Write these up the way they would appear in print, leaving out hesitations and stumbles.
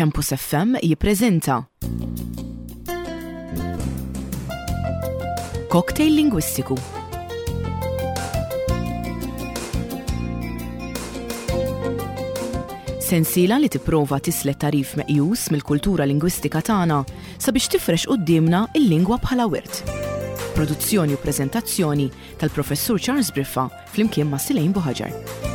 Campus FM jippreżenta Cocktail Lingwistiku. Sensiela li tipprova tislet tagħrif meqjus mill-kultura lingwistika tagħna sabiex tifrex quddiemna l-lingwa bħala wirt. Produzzjoni u preżentazzjoni tal-Professur Charles Briffa flimkien ma' Silejn Buħaġar.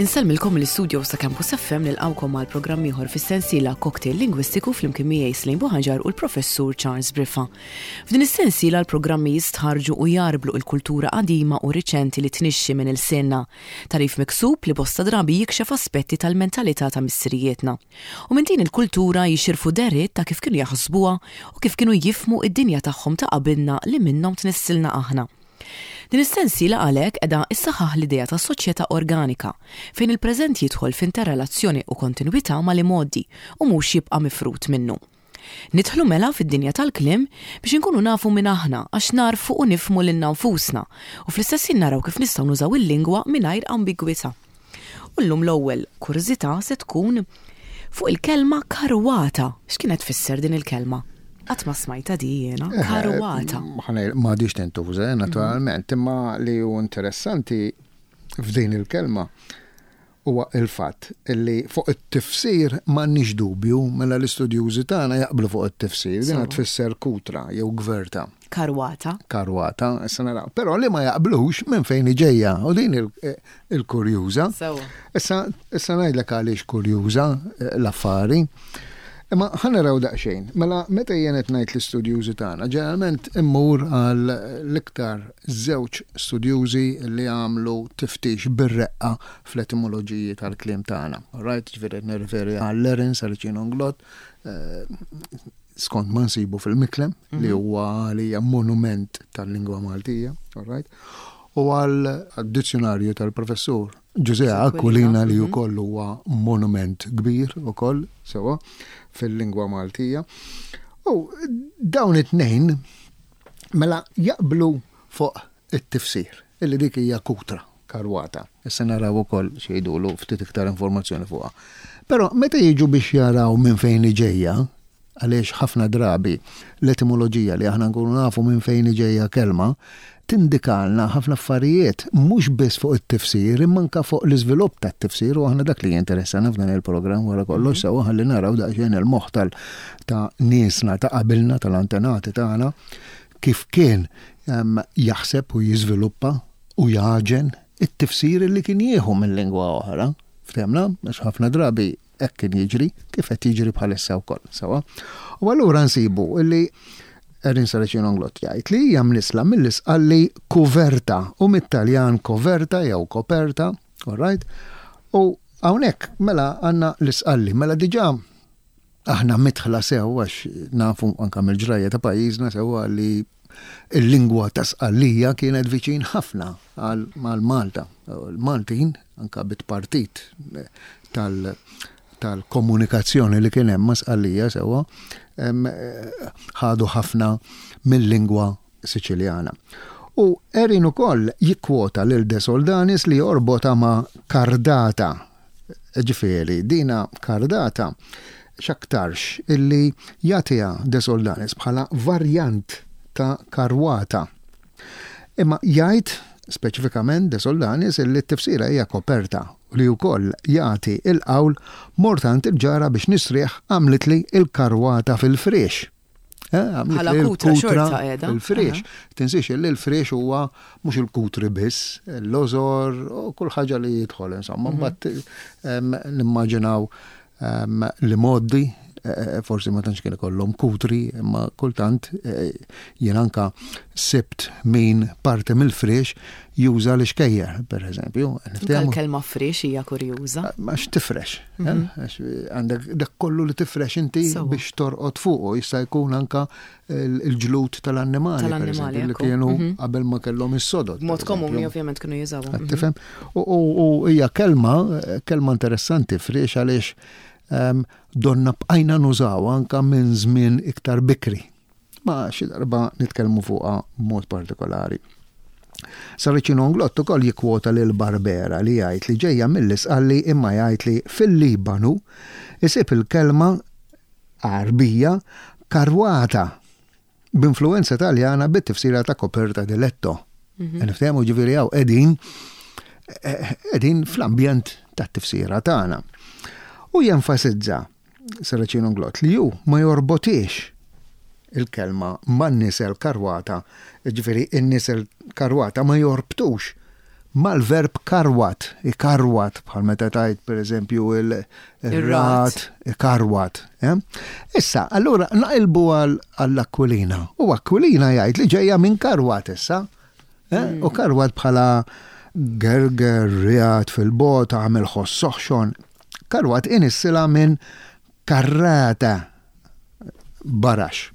Insellmilkom mill-istudios ta' Campus FM nilqgħukom għal programm ieħor fis-sensiela Cocktail Lingwistiku flimkien miegħi Slane Buħaġar u l-Professur Charles Briffa. F'din is-sensiela l-programmi jistħarrġu u jgħarblu l-kultura qadima u riċenti li tnixxi minn ilsienna. Tagħrif miksub li bosta drabi jikxef aspetti tal-mentalità ta' missirijietna. U minn din il-kultura jixirfu dehriet ta' kif kienu jaħsbuha u kif kienu jifhmu d-dinja tagħhom ta' qabilna li minnhom tnissilna aħna. Din is-sensiela għalhekk qiegħda ssaħħaħ l-idea ta' soċjetà organika, fejn il-preżent jidħol f'interrelazzjoni u kontinwità mal-imgħoddi u mhux jibqa' mifrud minnu. Nidħlu mela fid-dinja tal-kliem biex inkunu nafu min aħna għax nagħrfu u nifhmu lilna nfusna u fl-istess ħin naraw kif nistgħu nużaw il-lingwa mingħajr ambigwità. U llum l-ewwel kurżità se tkun fuq il-kelma karwata. X'kienet tfisser din il-kelma? Qatt ma smajtha di jiena, eh, karwata. M'għadix tintuża, eh, naturalment, imma li hu interessanti f'din il-kelma huwa il-fatt li fuq it-tifsir m'għandniex dubju mela l-istudjużi tagħna jaqblu fuq it-tifsir, din tfisser kutra jew gverta. Karwata. Karwata, issa naraw. Però li ma jaqblux minn fejn ġejja u din il-kurjuża. Issa issa ngħidlek għaliex kurjuża eh, l-affari. Imma ħa naraw daqsxejn. Mela meta jien qed ngħid l-istudjużi tagħna, ġeneralment immur għal l-iktar żewġ studjużi li għamlu tiftix bir-reqqa fl-etimoloġiji tal-kliem tagħna. Right, ġifieri qed nirriferi għal Erin Saracino Nglott, eh, skont ma nsibu fil-Miklem, mm -hmm. li mhm. huwa għalija monument tal-lingwa Maltija, all right? U għal dizzjonarju tal-professur Ġużè Aquilina li mhm. ukoll huwa monument kbir ukoll sewa fil-lingwa Maltija. U dawn it-tnejn mela jaqblu fuq it-tifsir, illi dik hija kutra, karwata. Issa naraw ukoll x'jgħidulu ftit iktar informazzjoni fuqha. Però meta jiġu biex jaraw minn fejn ġejja, għaliex ħafna drabi l-etimoloġija li aħna nkunu nafu minn fejn ġejja kelma, tindikalna ħafna affarijiet mhux biss fuq it-tifsir imma anke fuq l-iżvilupp tat-tifsir u aħna dak li jinteressana f'dan il-programm wara kollox mhm. sewwa ħalli naraw daqsxejn il-moħħ tal ta' niesna ta' qabilna tal-antenati tagħna kif kien jaħseb u jiżviluppa u jagħġen it-tifsir li kien jieħu minn lingwa oħra. Ftemna, għax ħafna drabi hekk kien jiġri, kif qed jiġri bħalissa wkoll, sewwa. U allura nsibu li Erin Saracino Nglott jgħid li hija mnisla mill-Isqalli kuverta u mit-Taljan coverta jew coperta, all right? U hawnhekk mela għandna l-Isqalli, mela diġà Aħna midħla sew għax nafu anke mill-ġrajja ta' pajjiżna sewwa li l-lingwa ta' Sqallija kienet viċin ħafna għal Malta. L-Maltin, anke bit-tpartit tal-komunikazzjoni li kien hemm ma' Sqallija sewwa, ħadu ħafna mil-lingwa Siċiljana. U Erin ukoll jikkwota lil De Soldanis li jorbotha ma' kardata. Ġifieri, dina kardata x'aktarx illi jagħtiha De Soldanis bħala varjant ta' karwata. Imma jgħid speċifikament De Soldanis illi t-tifsira hija koperta u li wkoll jagħti l-qawl mort għand il-ġara biex nistrieħ għamlitli l-karwata fil-friex. Eh, Bħala kutra xorta qiegħda. Il-friex. Tinsiex li l-friex huwa mhux il-kutri biss, l-lożor u kull ħaġa li jidħol insomma. Mhm. Mbagħad nimmaġinaw li moddi. forsi ma tantx kien ikollhom kutri, imma kultant jien anka sibt min parti mill-friex juża l-ixkejjer, per eżempju. Il-kelma friex hija kurjuża. Għax tifrex. Għax għandek dak kollu li tifrex inti biex torqod fuqu, jista' jkun anka il-ġlud tal-annimali, per eżempju, li kienu qabel ma kellhom is-sodod. Mod komuni ovvjament kienu jużawhom. Tifhem? U hija kelma, kelma interessanti friex għaliex donna bqajna nużaw anka minn żmien iktar bikri. Ma xi darba nitkellmu fuqha b'mod partikolari. Saracino Englot ukoll jikkwota lil Barbera li jgħid li ġejja mill-Isqalli imma jgħid li fil-Libanu isib il-kelma Għarbija karwata b'influwenza Taljana bit-tifsira ta' coperta di letto. Niftehmu ġifieri hawn qegħdin qegħdin fl-ambjent tat-tifsira tagħna. U jenfasizza Saracino Englot li hu ma jorbotiex il-kelma man-nisel karwata, ġifieri n-nisel karwata ma jorbtux mal-verb karwat, ikarwat, bħal meta tgħid pereżempju il-rat, ikarwat. Eh? Issa, allura naqilbu għall-Aquilina. U Aquilina jgħid li ġejja minn karwat issa. Eh? U karwat bħala gerger, riat fil-bot, għamel ħoss soħxon. Karwat inissila minn karrata barax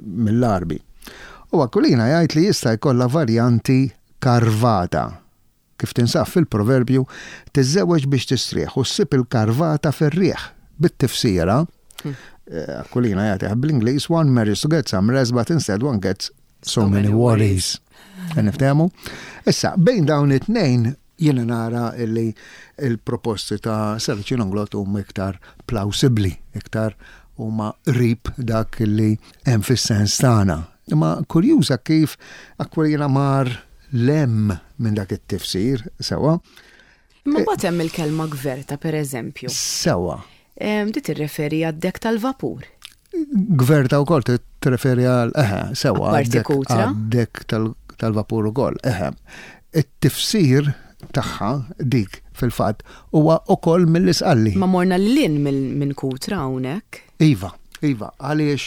mill-Għarbi. U Aquilina jgħid li jista' jkollha varjanti karvata, kif tinsab fil-proverbju tiżżewweġ biex tistrieħ u ssib il-karvata fir-riħ, bit-tifsira, Aquilina jagħtiha bl-Ingliż, one marries to get some rest but instead one gets so many worries. Niftehmu? Issa, bejn dawn it-tnejn Jiena nara li l-proposti ta' Saracino Englot huma iktar plawsibbli, iktar huma qrib dak li hemm fis-sens tagħna. Imma kurjuża kif Aquilina mar 'l hemm minn dak it-tifsir, sewwa. Imma mbagħad hemm il-kelma gverta, pereżempju. Sewwa. Di tirreferi għad-dekk tal-vapur. Gverta wkoll tirreferi għal, eħe, sewwa. Apparti kutra. Għad-dekk tal-vapur ukoll, eħe. It-tifsir tagħha dik fil-fatt huwa ukoll mill-Isqalli. Ma morna lil hinn minn kutra hawnhekk. Iva, iva, għaliex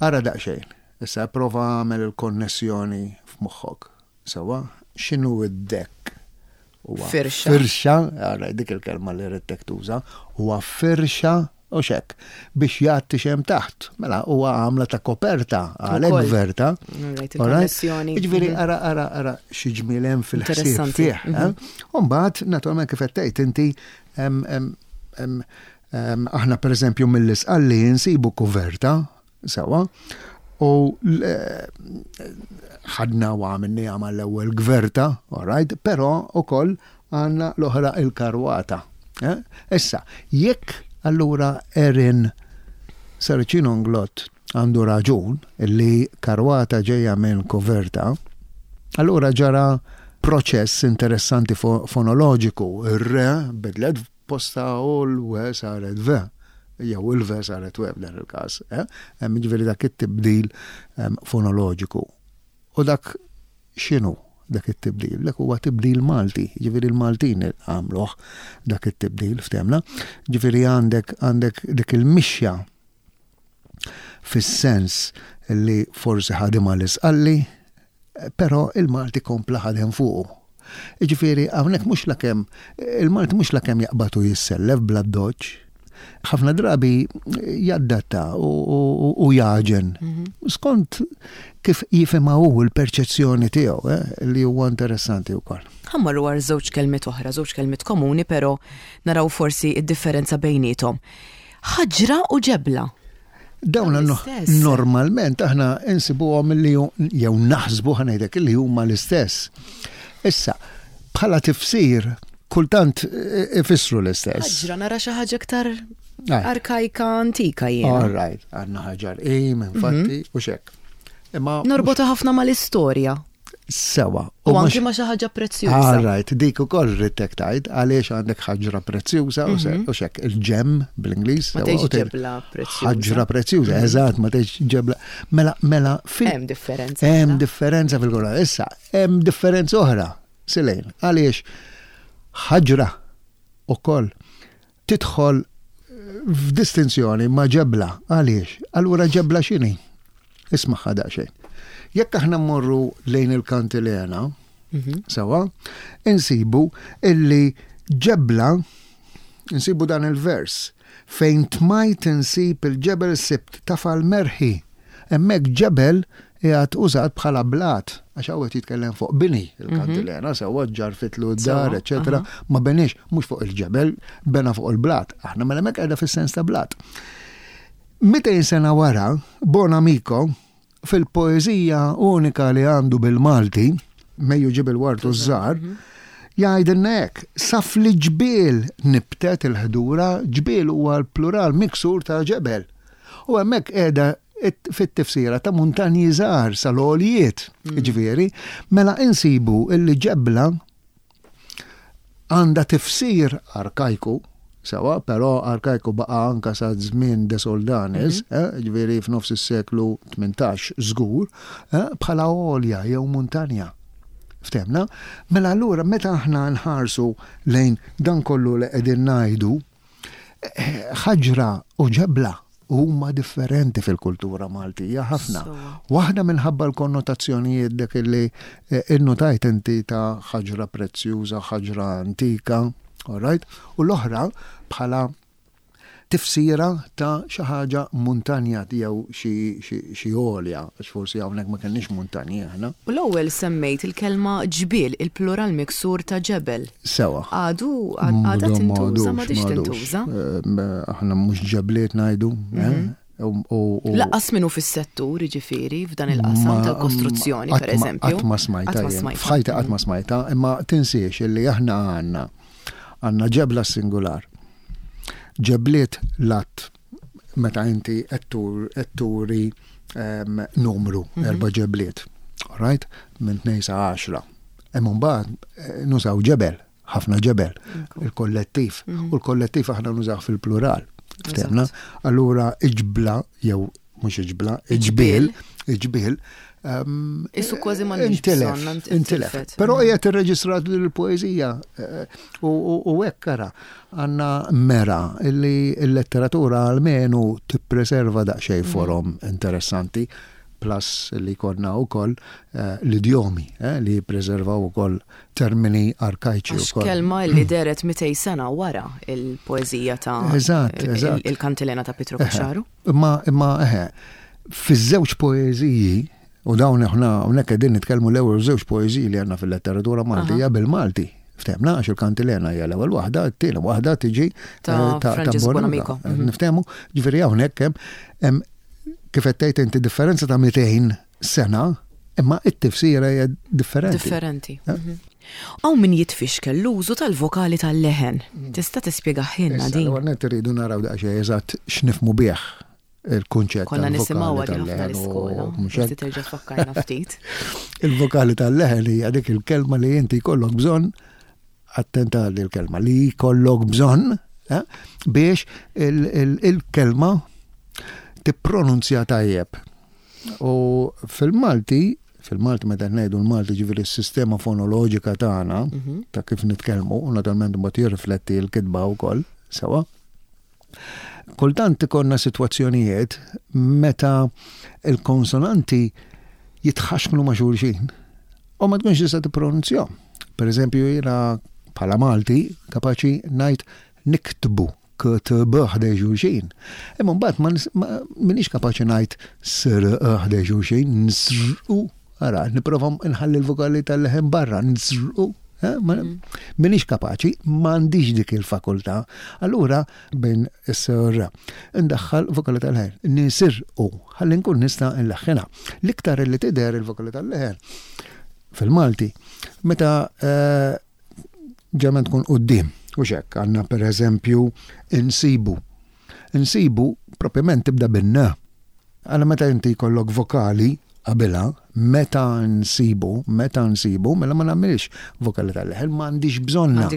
ara daqsxejn, issa ipprova agħmel il-konnessjoni f'moħħok. Sewwa, x'inhu d-dekk? Huwa Firxa. Firxa, ara dik il-kelma li ridtek tuża, huwa firxa u x'hekk, biex jgħatti x'hemm taħt. Mela huwa għamla ta' koperta, għalhekk gverta. Alright, il-konnessjoni. Jiġifieri ara ara ara xi ġmiel hemm fil-ħsieb fih. Eh? U mbagħad naturalment kif qed tgħid inti aħna pereżempju mill-Isqalli insibu kuverta Sewwa. U ħadna u għamilniha mal-ewwel gverta, all right, però ukoll għandna l-oħra il-karwata. Eh? Issa, jekk allura Erin Saracino Englot għandu raġun li karwata ġejja minn koverta, allura ġara proċess interessanti fonoloġiku. Ir-re bidlet Posta u l-we saret ve, jew il-ve saret we f'dan il-każ. Eh? Hemm jiġifieri dak it-tibdil fonoloġiku. U dak x'inhu dak it-tibdil? Dak huwa tibdil Malti, jiġifieri l-Maltin għamluh dak it-tibdil ftemna. Jiġifieri għandek għandek dik il-mixja fis-sens li forsi ħadimha l-Isqalli, però il-Malti kompla ħadem fuqu. Jiġifieri hawnhekk mhux lakemm il-Malti mhux lakemm jaqbad u jissellef bl-addoċċ. Ħafna drabi jaddatta u jagħġen skont kif jifhimha hu l-perċezzjoni tiegħu eh, li huwa interessanti wkoll. Ħa mmorru għal żewġ kelmiet oħra, żewġ kelmiet komuni però naraw forsi d-differenza bejniethom. Ħaġra u ġebla. Dawn normalment aħna insibuhom li jew naħsbu ħanejdek li huma l-istess. Issa, bħala tifsir, kultant ifissru l-istess. Ħaġra nara xi ħaġa iktar arkajka antika jien. All right, għandna ħaġar im, infatti, mhm. u xek. Imma Norbota ħafna mal-istorja. Sewa. U anki ma xi ħaġa prezzjuża. All right, dik ukoll ridtek tgħid għaliex għandek ħaġra prezzjuża u mhm. xek il-ġem bl-Ingliż. Ma tgħidx ġebla prezzjuża. Ħaġra prezzjuża, mhm. eżatt, ma tgħidx ġebla. Mela, mela fil. Hemm differenza. Hemm mela. differenza fil-kolla. Issa, hemm differenza oħra, Silejn, għaliex ħaġra ukoll tidħol F'distinzjoni ma' ġebla, għaliex? Allura ġebla x'inhi? Ismagħha daqsxejn. Jekk aħna mmorru lejn il-kantilena, mhm. sewa, insibu illi ġebla, insibu dan il-vers, fejn tmajt insib il-ġebel sibt tafal merħi. Hemmhekk ġebel qiegħed użat bħala blat, għax hawn qed jitkellem fuq bini, il-kantilena, sewwa ġġarfitlu d-dar, eċetera, ma beniex mhux fuq il-ġebel, bena fuq il-blat. Aħna mela hemmhekk qiegħda fis-sens ta' blat. 200 sena wara, Bonamico, fil-poeżija unika li għandu bil-Malti, Mejju ġib il-wartu ż-żgħar, jgħidilna hekk, sa fl-ġbiel nibtet il-ħdura, ġbiel huwa l-plural miksur ta' ġebel. U hemmhekk qiegħda fit-tifsira ta' muntanji żgħar sal-għoljiet, mm. ġifieri, mela insibu illi ġebla għandha tifsir arkajku, sewa, però arkajku baqa anka sa żmien de Soldanis, mm -hmm. eh, ġifieri f'nofs is-seklu 18 żgur, eh, bħala għolja jew muntanja. Ftemna? Mela allura meta aħna nħarsu lejn dan kollu li qegħdin ngħidu, Ħaġra u ġebla huma differenti fil-kultura Maltija ħafna. Waħda minħabba l-konnotazzjonijiet dak li eh, innotajt inti ta' ħaġra prezzjuża, ħaġra antika, all right? U l-oħra bħala tifsira ta' xi ħaġa muntanja jew xi għolja, għax forsi hawnhekk ma kenniex muntanji aħna. U l-ewwel semmejt il-kelma ġbiel, il-plural miksur ta' ġebel. Sewa. Għadu, għadha tintuża, m'għadhiex tintuża. Aħna mhux ġebliet ngħidu. Eh? Mhm. Laqqas minnu fis-settur, jiġifieri, f'dan il-qasam tal-kostruzzjoni, per eżempju. Qatt ma smajta. F'ħajti qatt ma smajta, imma tinsiex illi aħna għandna għandna ġebla singular. Ġebliet lat meta inti qed turi ehm, numru, mhm. erba' ġebliet. Right? Minn 2 sa 10. Imma mbagħad eh, nużaw ġebel, ħafna ġebel, il-kollettiv. Mhm. U l-kollettiv aħna nużaw fil-plural. Ftemna? Allura iġbla jew mhux iġbla, iġbiel, iġbiel. Ehm, Isu kważi ma intilef, intilef. Però mm. qiegħed irreġistrat l-poeżija eh, u hekk ara għandna mera illi l-letteratura almenu tippreserva daqsxejn mm. forom interessanti plus li konna u koll eh, l-idjomi eh, li jippreservaw u koll termini arkajċi. Għax kelma li deret 200 sena wara il-poezija ta' eżatt, eżatt. il-kantilena ta' Pietro Caxaru. Imma, imma, eħe, fiż-żewġ poeżiji, u dawn aħna hawnhekk qegħdin nitkellmu l-ewwel żewġ poeżiji li għandna fil-letteratura Maltija bil-Malti. Ftehmna għax il-kantilena hija l-ewwel waħda, t-tieni waħda tiġi ta' eh, Francis Bonamico. Mhm. Niftehmu, ġifieri hawnhekk hemm kif qed tgħid inti differenza ta' 200 sena, imma it-tifsira hija differenti. Differenti. Eh? Mhm. Hawn min jitfixkel l-użu tal-vokali tal-leħen. Mm. Tista' tispjegaħilna din? Issa, net irridu naraw daqsxejn eżatt x'nifmu bih il-kunċett Konna nisimgħu ħafna l-iskola. Forsi terġa' tfakkarna ftit. Il-vokali tal-leħen hija dik il-kelma li inti jkollok bżonn attenta għal il-kelma li jkollok bżonn eh, biex il-kelma tippronunzja tajjeb. U fil-Malti, fil-Malti meta ngħidu l-Malti ġifieri s-sistema fonoloġika tagħna mhm. ta' kif nitkellmu, u naturalment mbagħad jirrifletti l-kitba wkoll sewa. Kultant ikollna sitwazzjonijiet meta il-konsonanti jitħaxknu ma' xulxin u ma tkunx tista' tippronunzjahom. Per eżempju, jiena bħala Malti kapaċi ngħid niktbu ktb ħdej xulxin. Imma mbagħad ma minix kapaċi ngħid sr ħdej xulxin, nsrqu Ara, nipprova nħalli l-vokali tal-leħen barra, nżrqu. Eh, mm. Minix kapaċi, m'għandix dik il-fakultà. Allura, bejn is-sr, ndaħħal vokali tal-leħen, nisirqu, ħalli nkun nista' nleħħinha. L-iktar li tidher il-vokali tal-leħen fil-Malti, meta eh, ġemen tkun quddiem. U xek, għanna per eżempju insibu. Insibu propjament tibda bin-na. Għala meta inti jkollok vokali qabilha, meta nsibu, meta nsibu, mela ma nagħmilx vokali tal-leħen, ma għandix bżonna.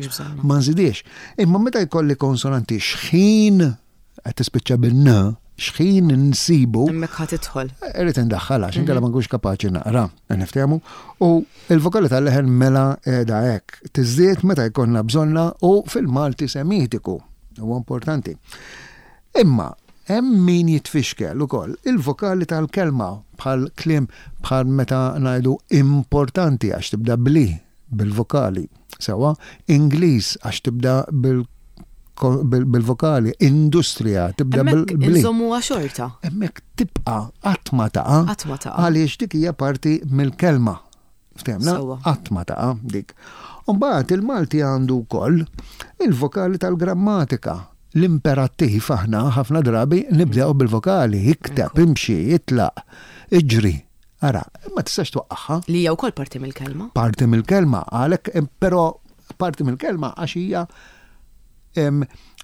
Ma nżidiex. Imma meta jkolli konsonanti xħin qed tispiċċa bin-n, xħin nsibu. Hemmhekk ħa tidħol. Irrid indaħħalha għax inkella ma nkunx kapaċi naqra, niftehmu. U il-vokali tal-leħen mela qiegħda hekk. Tiżdied meta jkollna bżonna u fil-Malti semitiku. Huwa importanti. Imma hemm min jitfixkel ukoll il-vokali tal-kelma bħal kliem bħal meta ngħidu importanti għax tibda bli bil-vokali. Sewwa, Ingliż għax tibda bil-vokali, industrija tibda bil-bli. Inżommuha xorta. Hemmhekk tibqa' qatt ma taqa'. Qatt ma taqa'. Għaliex dik hija parti mill-kelma. Ftehmna? Qatt ma taqa' dik. U mbagħad il-Malti għandu wkoll il-vokali tal-grammatika. L-imperattiv aħna ħafna drabi nibdew bil-vokali, ikteb, imxi, itlaq, iġri. Ara, ma tistax twaqqagħha. Li hija wkoll parti mill-kelma. Parti mill-kelma, għalhekk, però parti mill-kelma għax hija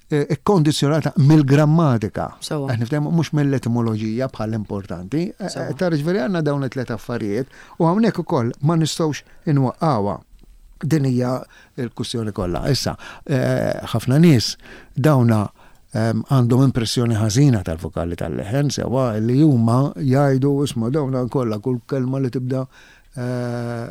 ikkondizjonata mill-grammatika. Qed niftehmu mhux mill-etimoloġija bħal importanti. Tara ġifieri għandna dawn it-tliet affarijiet u hawnhekk ukoll ma nistgħux inwaqqgħuha. Din hija l-kwistjoni kollha. Issa, ħafna nies dawna għandhom impressjoni ħażina tal-vokali tal-leħen sewwa li huma jgħidu isma' dawna kollha kull kelma li tibda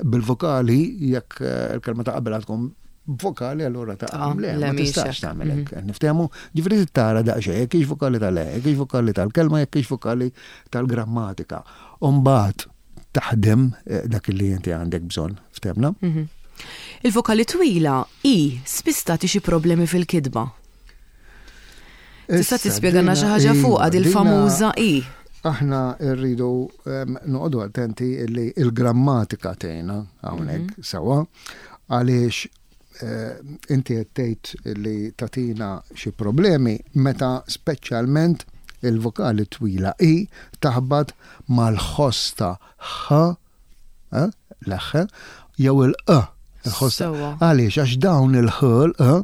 bil-vokali jekk il-kelma ta' qabel tkun vokali allura ta' le, ma tistax tagħmel hekk. Niftehmu, ġifieri tara daqsxejn jekk hix vokali tal-le, jekk hix vokali tal-kelma, jekk hix vokali tal-grammatika. U mbagħad taħdem dak li inti għandek bżonn, ftehmna? Il-vokali twila i spiss tagħti xi problemi fil-kitba. Tista' tispjegana xi ħaġa fuqha dil-famuża i? Aħna rridu noqogħdu attenti li l-grammatika tgħinna hawnhekk mhm. sewwa għaliex eh, inti qed tgħid li tagħtina xi problemi meta speċjalment il-vokali twila i taħbat mal-ħoss ta' ħ eh, l-ħ, jew il-q, il-ħoss. Għaliex, għax dawn il-ħ, l-q,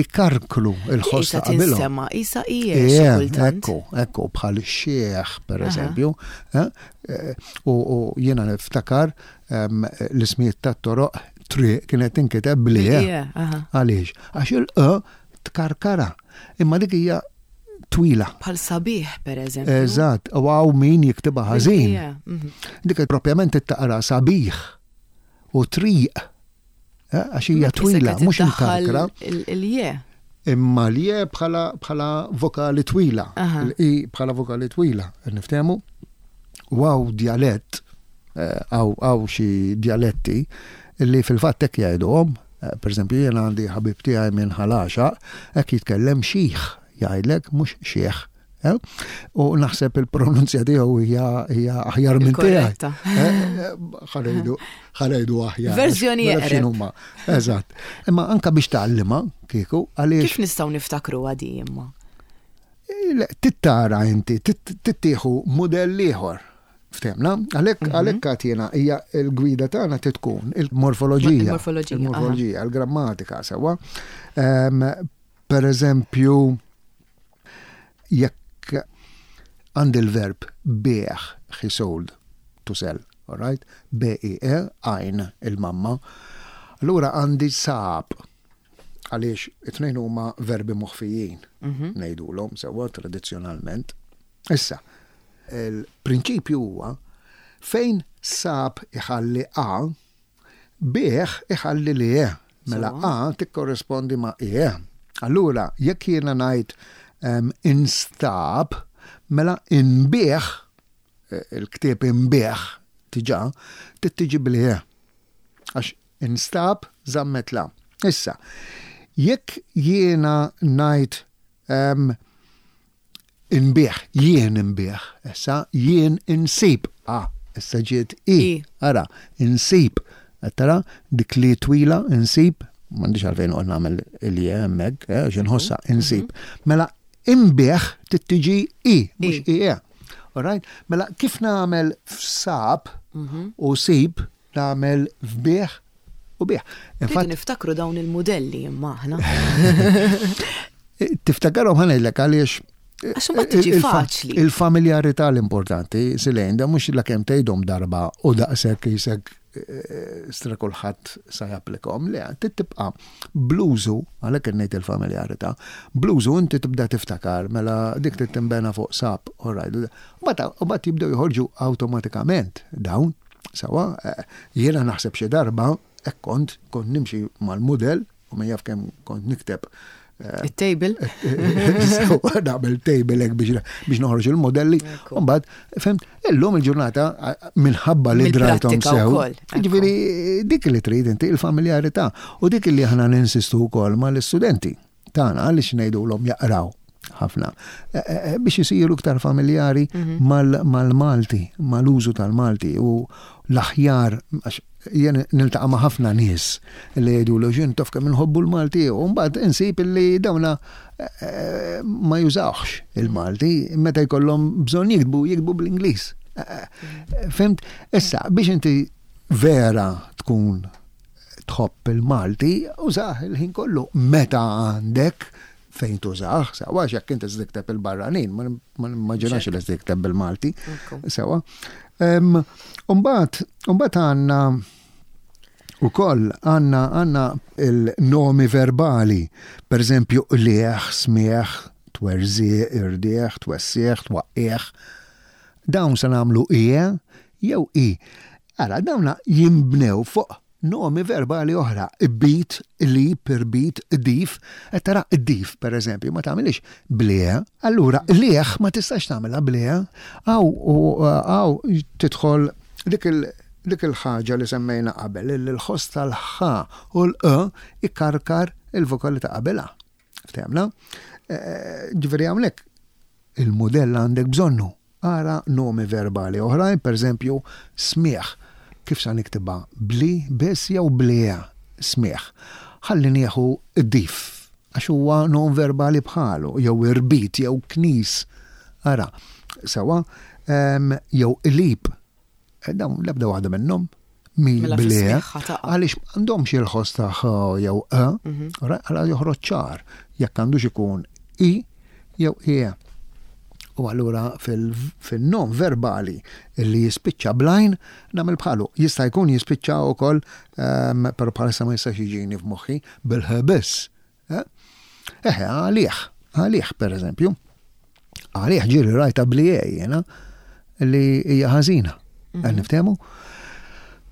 ikarklu il-ħoss ta' qabilhom. Sema, isa ije. Ekku, ekku, bħal xieħ, per eżempju. Eh, eh, u jiena niftakar ehm, l-ismijiet ta' toroq triq kienet tinkiteb bli. Għaliex, għax il-q tkarkara. Imma dik hija twila. Bħal sabiħ, per eżempju. Eżatt, u għaw min jiktibha ħażin. Mhm. Dik propjament taqra sabiħ u triq. Eh, għax hija twila, mhux imkarkra. Il-je. Imma l-je bħala vokali twila. Il-i bħala vokali twila, niftehmu. U għaw djalett, eh, għaw xi djaletti li fil-fatt hekk jgħiduhom, eh, per eżempju jiena għandi ħabib tiegħi minn Ħal Għaxaq, hekk jitkellem xih jgħidlek mhux xieħ. Eh? U naħseb il-pronunzja tiegħu hija aħjar minn tiegħi. Eh, ħanejdu ħanejdu aħjar. Verżjoni huma. Eżatt. Imma anka biex tgħallimha kieku għaliex. Kif nistgħu niftakru għadi imma? Tittara inti, tittieħu mudell ieħor. Ftehmna? Għalhekk mhm. għalhekk għad hija l-gwida tagħna tkun il-morfoloġija. Il-morfoloġija, il-grammatika sewwa. Ehm, per eżempju, jekk għandi l-verb bieħ, he sold, to sell, all right? B-I-E, għajn il-mamma. Allura għandi sab, għaliex it-tnejn huma verbi moħfijin, mhm. ngħidulhom sewwa tradizzjonalment. Issa, il-prinċipju huwa fejn sab iħalli A, bih iħalli li E. Mela A tikkorrespondi ma' E. Allura, jekk jiena ngħid instab, mela inbih, eh, il-ktieb inbih diġà, tittiġi bli E. Għax instab żammet la. Issa, jekk jiena ngħid Inbigħ, jien inbigħ, issa jien insib. Ah, issa ġiet i. Ara, insib. Qed tara dik li twila insib, m'għandix għalfejn noqgħod nagħmel il-je hemmhekk, eh, għax inħossha mhm. insib. Mela inbigħ tittiġi i, mhux i e. Alright? Mela kif nagħmel f'sab mhm. u sib nagħmel f'bigħ u bih. Infatti niftakru dawn il-mudelli imma aħna. Tiftakarhom ħanejlek għaliex Għax ma tiġi faċli. Il-familjarità l-importanti, Silejn, da mhux la kemm tgħidhom darba u daqshekk jisek eh, stra kulħadd sa japplikhom, le tibqa' blużu, għalhekk ngħid il-familjarità, blużu inti tibda tiftakar mela dik trid tinbena fuq sab, all right. U mbagħad jibdew joħorġu awtomatikament dawn. Sewwa, jiena naħseb xi darba hekk kont, kont nimxi mal-mudell u min jaf kemm kont nikteb Il-table? Nagħmel table hekk biex noħroġ il-modelli. Mbagħad, fhimt, illum il-ġurnata minħabba li drajthom sew. Ġifieri dik li trid inti il-familjarità u dik li aħna ninsistu wkoll mal-istudenti tagħna għaliex ngħidulhom jaqraw ħafna e, e, e, biex isiru iktar familjari mhm. mal-Malti, mal-użu tal-Malti u l-aħjar għax jien niltaqa' ma' ħafna nies li jgħidulu x'int taf kemm inħobbu l-Malti u mbagħad insib li dawna eh, ma jużawx il-Malti meta jkollhom bżonn jiktbu jiktbu bl-Ingliż. Eh, eh, fimt? Issa biex inti vera tkun tħobb il-Malti, użah il-ħin kollu meta għandek fejn tużah, sewa għax jekk inti tikteb il-barranin, ma nimmaġinax li tikteb bil-Malti, sewa. Umbagħad, umbagħad għandna ukoll għandna għandna il-nomi verbali, per eżempju qliegħ, smigħ, twerżieq, irdieħ, twessieħ, twaqqieħ. Dawn se nagħmlu ie jew i. Ara, dawna jinbnew fuq Nomi verbali oħra, bit, qlib, irbit, qdif. Qed tara qdif, pereżempju, ma tagħmilhiex bl-e. Allura qligħ ma tistax tagħmilha bl-e. Hawn hawn tidħol dik il dik il-ħaġa li semmejna qabel, li l-ħoss tal-ħ u l-q ikarkar il-vokali ta' qabilha. Ftehmna? Ġifieri hawnhekk il-mudell għandek bżonnu. Ara nomi verbali oħrajn, pereżempju, smigħ. Kif sa niktibha? Bl-i biss jew bl-e? Smigħ. Ħalli nieħu qdif, għax huwa nom verbali bħalu, jew irbit, jew knis. Ara, sewwa, jew qlib. Eh, dawn l-ebda waħda minnhom mi mela bl-e, għaliex m'għandhomx il-ħoss ta' ħ jew e, mhm. għala joħroġ ċar jekk għandux ikun i jew e. U allura fil-nom verbali li jispiċċa blajn nagħmel bħalu. Jista' jkun jispiċċa wkoll, ehm, però bħalissa ma jistax jiġini f'moħħi bil-ħ biss. Eh? Eħe, għalih, għalih per eżempju. Għalih ġiri rajta bli jena li hija ħażina. Mhm. Qed niftehmu?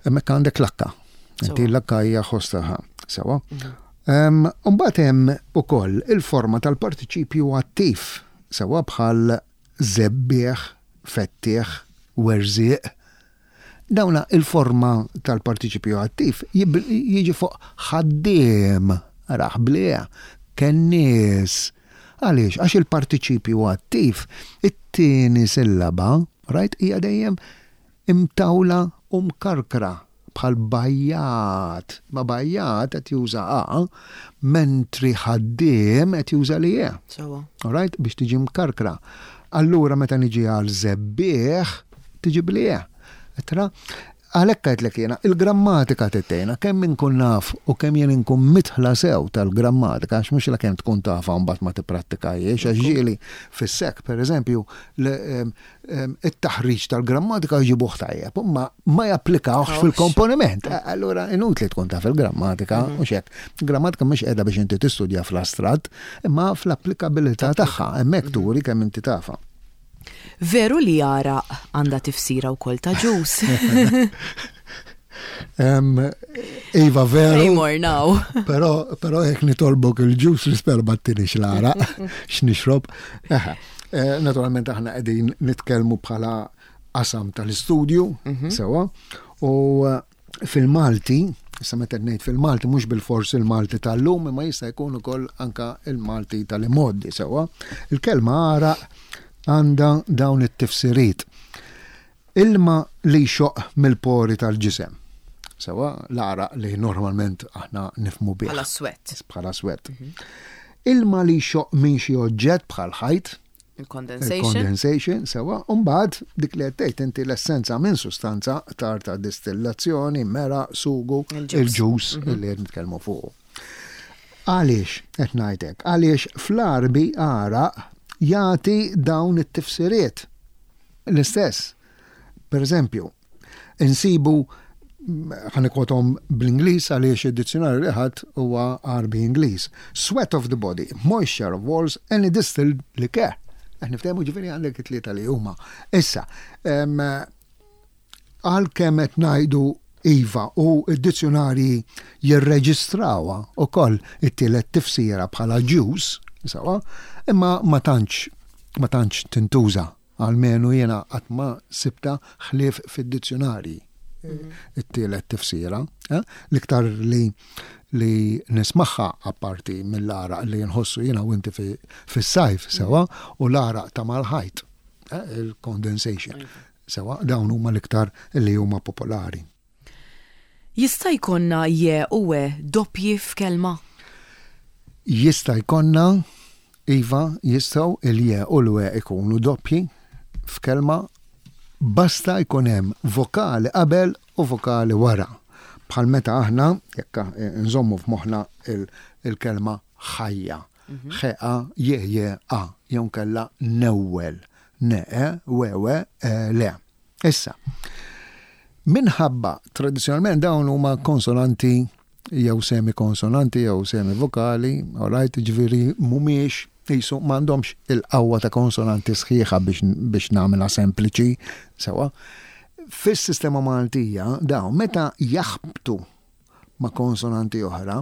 Hemmhekk għandek lakka. Inti l-lakka hija ħostaħa. Sewa. Mhm. Mbagħad hemm ukoll il-forma tal-partiċipju attiv, sewa bħal żebbieħ, fettieħ, werżieq, Dawna il-forma tal-partiċipju attiv jiġi fuq ħaddiem, arah bl-e, kennies. Għaliex? Għax il-partiċipju attiv, it-tieni sillaba, right, hija dejjem imtawla u mkarkra bħal bajjat. Ma bajjat qed juża a, mentri ħaddiem qed juża li e. Sewwa. All right, biex tiġi mkarkra. Allura meta niġi għal żebbieħ, tiġi bl-e. Tra? Għalhekk għedtlek jiena, il-grammatika tgħinna kemm inkun naf u kemm jien inkun midħla sew tal-grammatika, għax mhux lakemm tkun tafha u mbagħad ma tipprattikahiex, għax ġieli fis-SEC, pereżempju, it-taħriġ tal-grammatika jġibuh tajjeb, imma ma japplikawhx fil-komponiment. Allura inutli tkun taf il-grammatika mhm. u xek. Grammatika mhux qiegħda biex inti tistudja fl-astratt, imma fl-applikabilità tagħha, hemmhekk mhm. turi kemm inti tafha. Veru li għaraq għandha tifsira wkoll ta' ġus. Iva veru. Say more now. Pero, pero jek nitolbok il-ġus nispera ma tinix l-għaraq x'nixrob. Eh, naturalment aħna qegħdin nitkellmu bħala qasam tal-istudju, mhm. sewa, u eh, Fil-Malti, issa meta ngħid fil-Malti mhux bilfors il-Malti tal-lum imma jista' jkun ukoll anka il-Malti tal-imgħoddi sewwa, il-kelma għaraq għandha dawn it-tifsiriet. Ilma li jxoqq mill-pori tal-ġisem. Sewwa, l-għaraq li normalment aħna nifhmu bih. Bħala sweat. Bħala sweat. Mhm. Ilma li jxoqq minn xi oġġett bħal ħajt, Il-condensation. Il-condensation, sewa, u mbagħad dik li qed tgħid inti l-essenza minn sustanza tar ta' distillazzjoni, mera, sugu, il-ġus mhm. li qed nitkellmu fuq. Għaliex qed ngħidlek? Għaliex fl-Għarbi għaraq jagħti dawn it-tifsiriet. L-istess. Per eżempju, insibu ħa nikkwothom bl-Ingliż għaliex id-dizzjonarju li ħadt huwa Għarbi Ingliż. Sweat of the body, moisture of walls, any distilled liquor. Qed niftehmu ġifieri għandek it-tlieta li huma. Issa, għalkemm qed ngħidu Iva, u d-dizzjunarji jirreġistrawha wkoll it-tielet tifsira bħala juice, sewwa, imma ma tantx ma tantx tintuża, almenu jiena qatt ma sibtha ħlief fid-dizzjunarji it-tielet tifsira. Eh? L-iktar li li nismagħha apparti mill-għaraq li nħossu jiena u inti fis-sajf sewwa u l-għaraq ta' mal-ħajt, eh, il-condensation. Sewwa, dawn huma l-iktar li huma popolari. Jista' jkollna je u e doppji f'kelma? Jista' jkollna, iva, jistgħu il-je u l-e ikunu doppji f'kelma basta jkun hemm vokali qabel u vokali wara. Bħal meta aħna, jekk nżommu f'moħħna il-kelma ħajja. Ħ A J J A jew nkella newwel N E W W E L. Issa, minħabba tradizzjonalment dawn huma konsonanti jew semikonsonanti jew semivokali, all right, ġifieri mhumiex qisu m'għandhomx il-qawwa ta' konsonanti sħiħa biex, biex nagħmilha sempliċi, sewwa. Fis-sistema Maltija dawn meta jaħbtu ma' konsonanti oħra,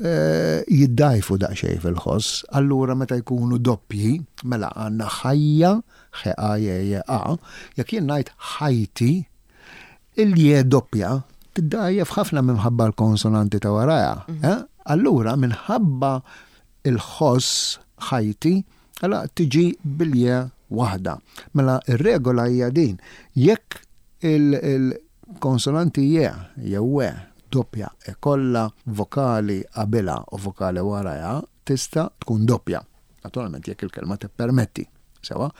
eh, jiddajfu daqsxejn fil-ħoss, allura meta jkunu doppji, mela għandna ħajja, ħ a j j a, jekk jien ngħid ħajti, il-je doppja tiddajjef ħafna minħabba l-konsonanti ta' warajha. Mhm. Eh? Allura minħabba il-ħoss ħajti, allura tiġi bil-je waħda. Mela ir-regola hija din, jekk il Konsonanti je jew we doppja ikollha vokali qabilha u vokali warajha tista' tkun doppja. Naturalment jekk il-kelma tippermetti. Sewwa?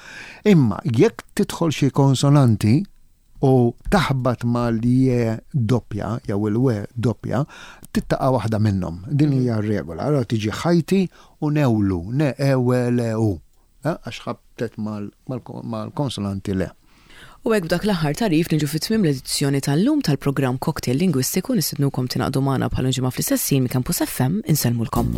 Imma jekk tidħol xi konsonanti u taħbat mal-je doppja jew il-we doppja, tittaqa' waħda minnhom. Din hija r-regola. Allura tiġi ħajti u newlu, ne e we le u. Għax ħabtet mal-konsonanti le. U hekk b'dak l-aħħar tagħrif niġu fi tmiem l-edizzjoni tal-lum tal-programm Cocktail Lingwistiku nistednukom tingħaqdu magħna bħal ġimgħa fl-istess ħin minn Campus FM insellmulkom.